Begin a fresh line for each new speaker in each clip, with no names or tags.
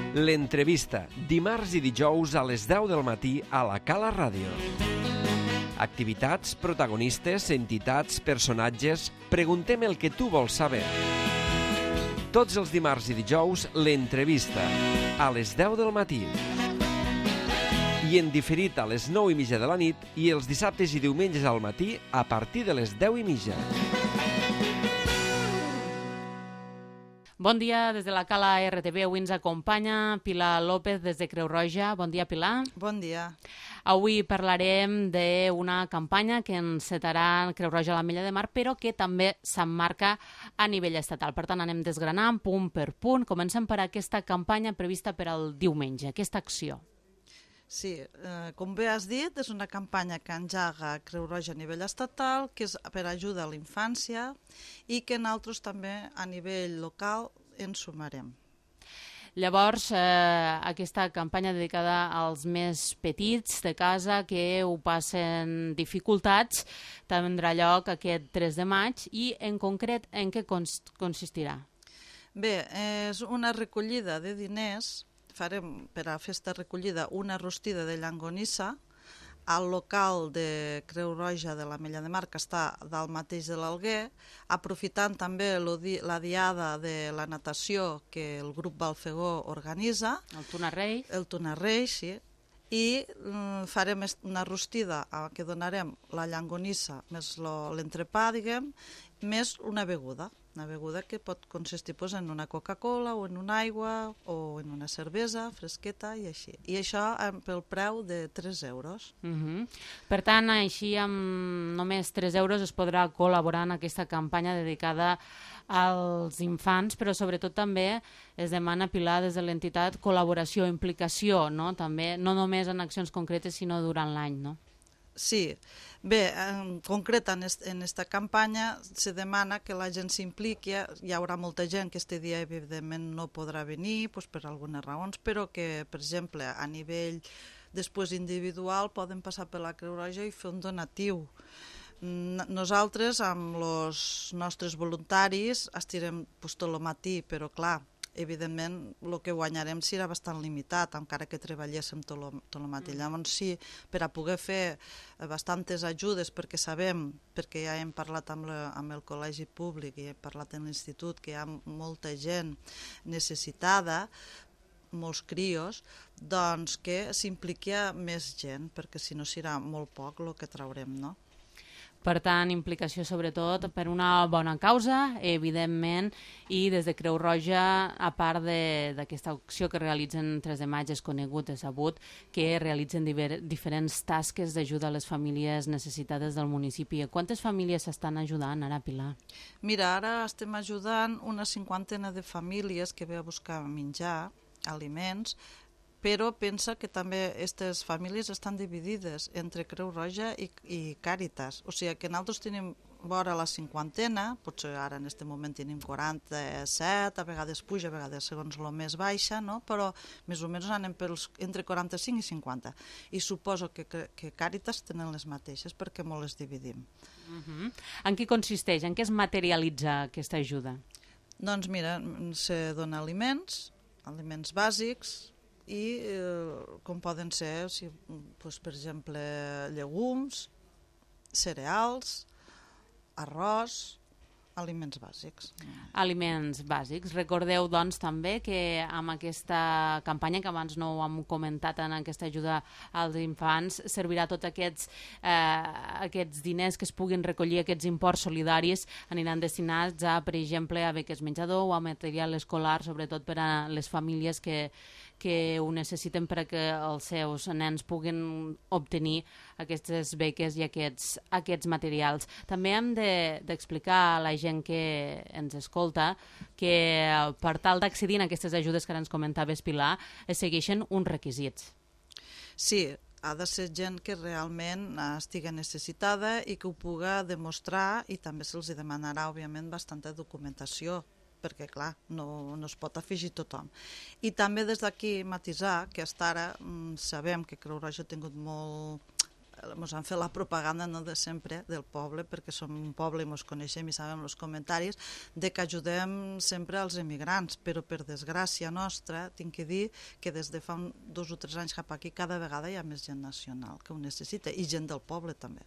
L'entrevista, dimarts i dijous a les 10 del matí a la Cala Ràdio. Activitats, protagonistes, entitats, personatges... Preguntem el que tu vols saber. Tots els dimarts i dijous, l'entrevista, a les 10 del matí. I en diferit a les 9:30 de la nit i els dissabtes i diumenges al matí a partir de les 10:30.
Bon dia des de la Cala RTV. Avui ens acompanya Pilar López des de Creu Roja. Bon dia, Pilar.
Bon dia.
Avui parlarem d'una campanya que encetarà Creu Roja a l'Ametlla de Mar, però que també s'emmarca a nivell estatal. Per tant, anem desgranant punt per punt. Comencem per aquesta campanya prevista per al diumenge, aquesta acció.
Sí, com bé has dit, és una campanya que engega Creu Roja a nivell estatal, que és per ajuda a la infància i que nosaltres també a nivell local ens sumarem.
Llavors, aquesta campanya dedicada als més petits de casa que ho passen dificultats tindrà lloc aquest 3 de maig i, en concret, en què consistirà?
Bé, és una recollida de diners. Farem per a festa recollida una rostida de llangonissa al local de Creu Roja de l'Ametlla de Mar, que està dalt mateix de l'Alguer, aprofitant també la diada de la natació que el grup Balfegó organitza.
El Tunarreix.
El Tunarreix, sí. I farem una rostida que donarem la llangonissa més l'entrepà, diguem, més una beguda que pot consistir en una Coca-Cola o en una aigua o en una cervesa fresqueta i així. I això pel preu de 3 euros.
Per tant, així amb només 3 euros es podrà col·laborar en aquesta campanya dedicada als infants, però sobretot també es demana, Pilar, des de l'entitat, col·laboració, implicació, no? També, no només en accions concretes, sinó durant l'any, no?
Sí. Bé, en concret en aquesta campanya se demana que la gent s'impliqui. Hi haurà molta gent que este dia evidentment no podrà venir per algunes raons, però que, per exemple, a nivell després individual poden passar per la Creu Roja i fer un donatiu. Nosaltres, amb els nostres voluntaris, estirem tot el matí, però clar, evidentment el que guanyarem serà bastant limitat, encara que treballéssim tot el matí. Llavors sí, per a poder fer bastantes ajudes, perquè sabem, perquè ja hem parlat amb el col·legi públic i hem parlat amb l'institut, que hi ha molta gent necessitada, molts crios, doncs que s'impliqui més gent, perquè si no serà molt poc el que traurem, no?
Per tant, implicació sobretot per una bona causa, evidentment, i des de Creu Roja, a part d'aquesta acció que realitzen 3 de maig, és conegut, és sabut, que realitzen diferents tasques d'ajuda a les famílies necessitades del municipi. Quantes famílies s'estan ajudant ara, Pilar?
Mira, ara estem ajudant una 50 de famílies que ve a buscar menjar, aliments, però pensa que també aquestes famílies estan dividides entre Creu Roja i Càritas. O sigui que nosaltres tenim vora la 50, potser ara en aquest moment tenim 47, a vegades puja, a vegades segons el més baixa, no? Però més o menys anem entre 45 i 50. I suposo que Càritas tenen les mateixes perquè molt les dividim.
En què consisteix? En què es materialitza aquesta ajuda?
Doncs mira, se dona aliments bàsics, i com poden ser, per exemple, llegums, cereals, arròs, aliments bàsics.
Aliments bàsics. Recordeu, doncs, també que amb aquesta campanya, que abans no ho hem comentat en aquesta ajuda als infants, servirà tots aquests diners que es puguin recollir, aquests imports solidaris, aniran destinats a, per exemple, a beques menjador o a material escolar, sobretot per a les famílies que ho necessiten perquè els seus nens puguin obtenir aquestes beques i aquests materials. També hem d'explicar a la gent que ens escolta que per tal d'accedir a aquestes ajudes que ara ens comentaves, Pilar, es segueixen uns requisits.
Sí, ha de ser gent que realment estigui necessitada i que ho puga demostrar, i també se'ls demanarà, òbviament, bastanta documentació, perquè, clar, no es pot afegir tothom. I també des d'aquí matisar que fins ara sabem que Creu Roja ha tingut molt ens han fet la propaganda no de sempre del poble, perquè som un poble i ens coneixem i sabem els comentaris, de que ajudem sempre als emigrants, però per desgràcia nostra, tinc que dir que des de fa 2 o 3 anys cap aquí cada vegada hi ha més gent nacional que ho necessita, i gent del poble també.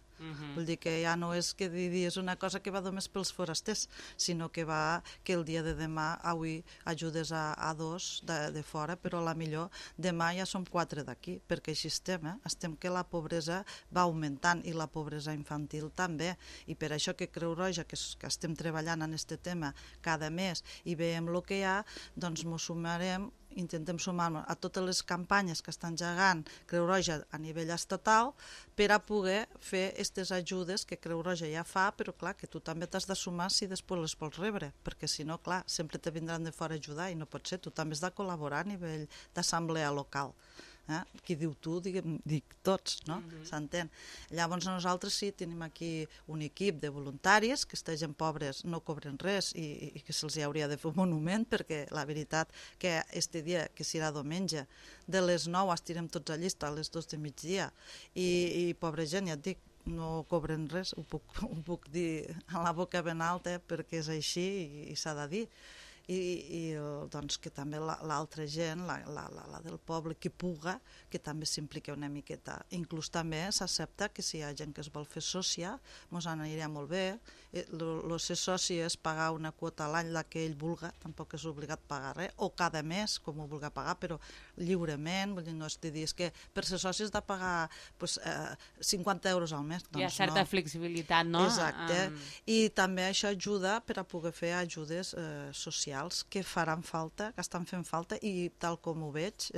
Vull dir que ja no és que és una cosa que va només pels forasters, sinó que va que el dia de demà, avui ajudes a 2 de fora, però a la millor demà ja som 4 d'aquí, perquè així estem que la pobresa va augmentant i la pobresa infantil també, i per això que Creu Roja, que estem treballant en aquest tema cada mes i veiem el que hi ha, doncs ens sumarem, intentem sumar-nos a totes les campanyes que estan gegant Creu Roja a nivell estatal per a poder fer aquestes ajudes que Creu Roja ja fa, però clar, que tu també t'has de sumar si després les vols rebre, perquè si no, clar, sempre te vindran de fora a ajudar i no pot ser, tu també has de col·laborar a nivell d'assemblea local. Qui diu tu, dic tots, no? S'entén. Llavors nosaltres sí, tenim aquí un equip de voluntaris, que aquesta gent pobres no cobren res i que se'ls hauria de fer un monument, perquè la veritat que este dia, que serà diumenge, de les 9 estirem tots a llista a les 2 de migdia i pobra gent, ja et dic, no cobren res, ho puc dir a la boca ben alta perquè és així i s'ha de dir. I doncs que també l'altra gent, la del poble que puga, que també s'implica una miqueta. Inclús també s'accepta que si hi ha gent que es vol fer sòcia, ens aniria molt bé. El ser soci és pagar una quota a l'any, la que ell vulga, tampoc és obligat a pagar res, o cada mes, com ho vulga pagar, però lliurement, vull dir, no és de dir, és que per ser soci has de pagar 50 euros al mes.
Hi ha certa flexibilitat, no?
Exacte, i també això ajuda per a poder fer ajudes socials que faran falta, que estan fent falta, i tal com ho veig,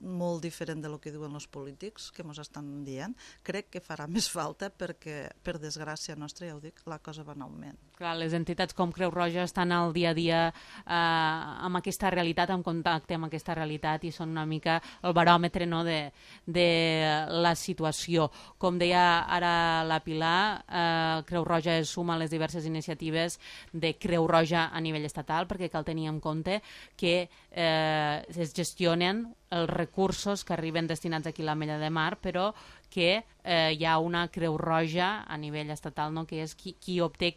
molt diferent del que diuen els polítics que ens estan dient, crec que farà més falta perquè, per desgràcia nostra, ja ho dic, la cosa va en augment.
Clar, les entitats com Creu Roja estan al dia a dia amb aquesta realitat, en contacte amb aquesta realitat, i són una mica el baròmetre, no, de la situació. Com deia ara la Pilar, Creu Roja es suma a les diverses iniciatives de Creu Roja a nivell estatal, perquè cal tenir en compte que es gestionen els recursos que arriben destinats aquí a l'Ametlla de Mar, però que hi ha una Creu Roja a nivell estatal, no?, que és qui obté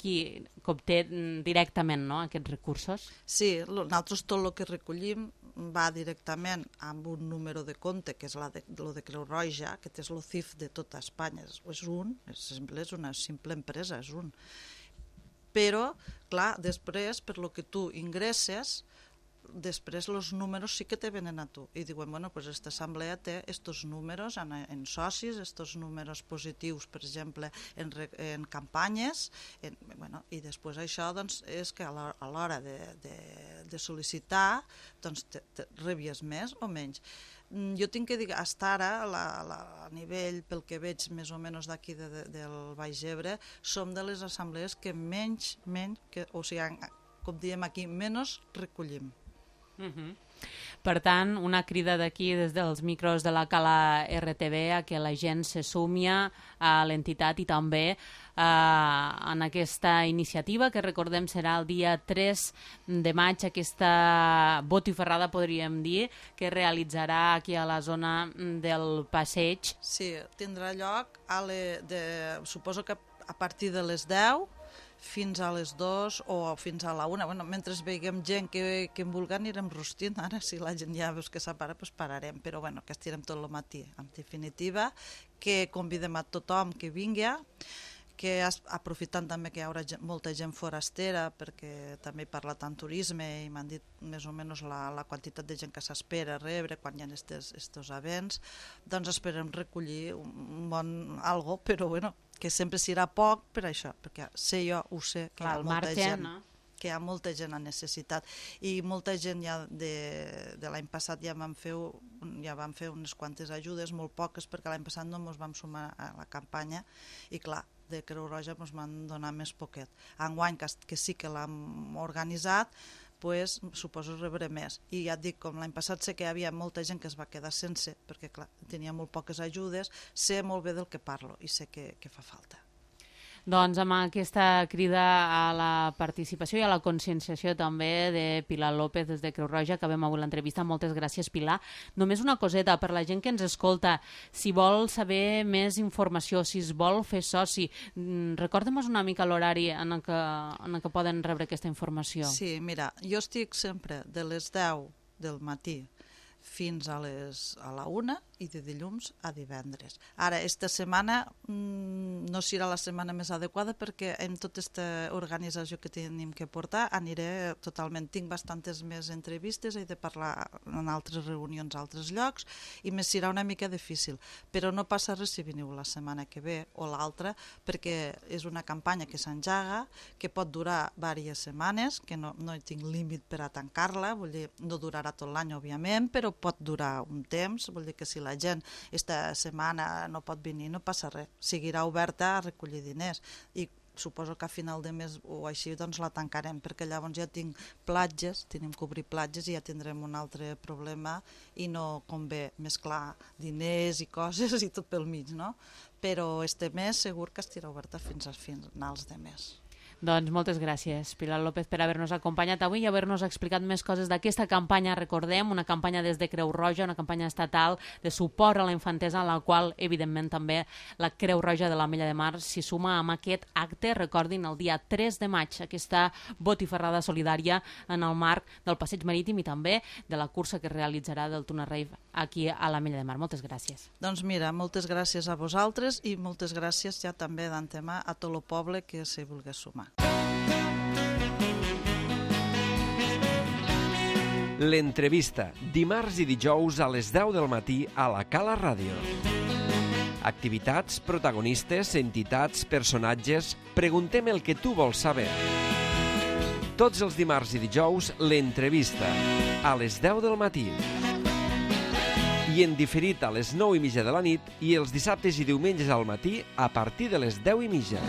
directament, no?, aquests recursos.
Sí, nosaltres tot el que recollim va directament amb un número de compte, que és lo de Creu Roja, que és el CIF de tota Espanya. És una simple empresa, és un. Però, clar, després, per lo que tu ingresses, després els números sí que te venen a tu i diuen, bueno, pues esta assemblea té estos números en socis, estos números positius, per exemple, en campanyes, i després això doncs, és que a l'hora de sol·licitar doncs rebies més o menys. Jo tinc que dir, fins ara, a nivell, pel que veig més o menys d'aquí del Baix Ebre, som de les assemblees que menys, o sigui, com diem aquí, menys recollim.
Per tant, una crida d'aquí des dels micros de la Cala RTV a que la gent se sumi a l'entitat i també en aquesta iniciativa que recordem serà el dia 3 de maig, aquesta botifarrada, podríem dir, que realitzarà aquí a la zona del passeig.
Sí, tindrà lloc suposo que a partir de les 10 fins a les 2 o fins a la 1. Bueno, mentre veiem gent que en vulgui anirem rostint. Ara, si la gent ja veus que s'apara, doncs pararem. Però bueno, que estirem tot el matí. En definitiva, que convidem a tothom que vingui, que aprofitant també que hi haurà molta gent forastera, perquè també he parlat en turisme i m'han dit més o menys la quantitat de gent que s'espera rebre quan hi ha estos events, doncs esperem recollir un bon algo, però bueno, que sempre serà poc per això, perquè ho sé, que hi ha molta gent, que hi ha molta gent a necessitat, i molta gent ja de l'any passat ja vam fer unes quantes ajudes, molt poques, perquè l'any passat no ens vam sumar a la campanya, i clar, de Creu Roja ens van donar més poquet. Enguany, que sí que l'hem organitzat, pues, suposo rebré més. I ja et dic, com l'any passat sé que hi havia molta gent que es va quedar sense, perquè clar, tenia molt poques ajudes, sé molt bé del que parlo i sé que fa falta.
Doncs amb aquesta crida a la participació i a la conscienciació també de Pilar López des de Creu Roja, acabem avui l'entrevista. Moltes gràcies, Pilar. Només una coseta, per la gent que ens escolta, si vol saber més informació, si es vol fer soci, recorda'm-nos una mica l'horari en el que poden rebre aquesta informació.
Sí, mira, jo estic sempre de les 10 del matí fins a la 1 i de dilluns a divendres. Ara, esta setmana no serà la setmana més adequada perquè amb tota aquesta organització que tenim que portar aniré totalment. Tinc bastantes més entrevistes, he de parlar en altres reunions a altres llocs i me serà una mica difícil. Però no passa res si veniu la setmana que ve o l'altra perquè és una campanya que s'enjaga, que pot durar diverses setmanes, que no hi tinc límit per a tancar-la, vull dir, no durarà tot l'any, òbviament, però pot durar un temps, vull dir que si la gent esta setmana no pot venir, no passa res, seguirà oberta a recollir diners i suposo que a final de mes o així doncs la tancarem, perquè llavors ja tinc platges, tenim que obrir platges i ja tindrem un altre problema i no convé mesclar diners i coses i tot pel mig, no? Però este mes segur que estirà oberta fins a finals de mes.
Doncs moltes gràcies, Pilar López, per haver-nos acompanyat avui i haver-nos explicat més coses d'aquesta campanya, recordem, una campanya des de Creu Roja, una campanya estatal de suport a la infantesa, en la qual, evidentment, també la Creu Roja de l'Ametlla de Mar s'hi suma amb aquest acte, recordin, el dia 3 de maig, aquesta botifarrada solidària en el marc del Passeig Marítim i també de la cursa que es realitzarà del Tuna Rave aquí a l'Ametlla de Mar. Moltes gràcies.
Doncs mira, moltes gràcies a vosaltres i moltes gràcies ja també d'antemà a tot el poble que s'hi vulgui sumar.
L'entrevista, dimarts i dijous a les 10 del matí a la Cala Ràdio. Activitats, protagonistes, entitats, personatges... Preguntem el que tu vols saber. Tots els dimarts i dijous, l'entrevista, a les 10 del matí. I en diferit a les 9:30 de la nit i els dissabtes i diumenges al matí a partir de les 10:30.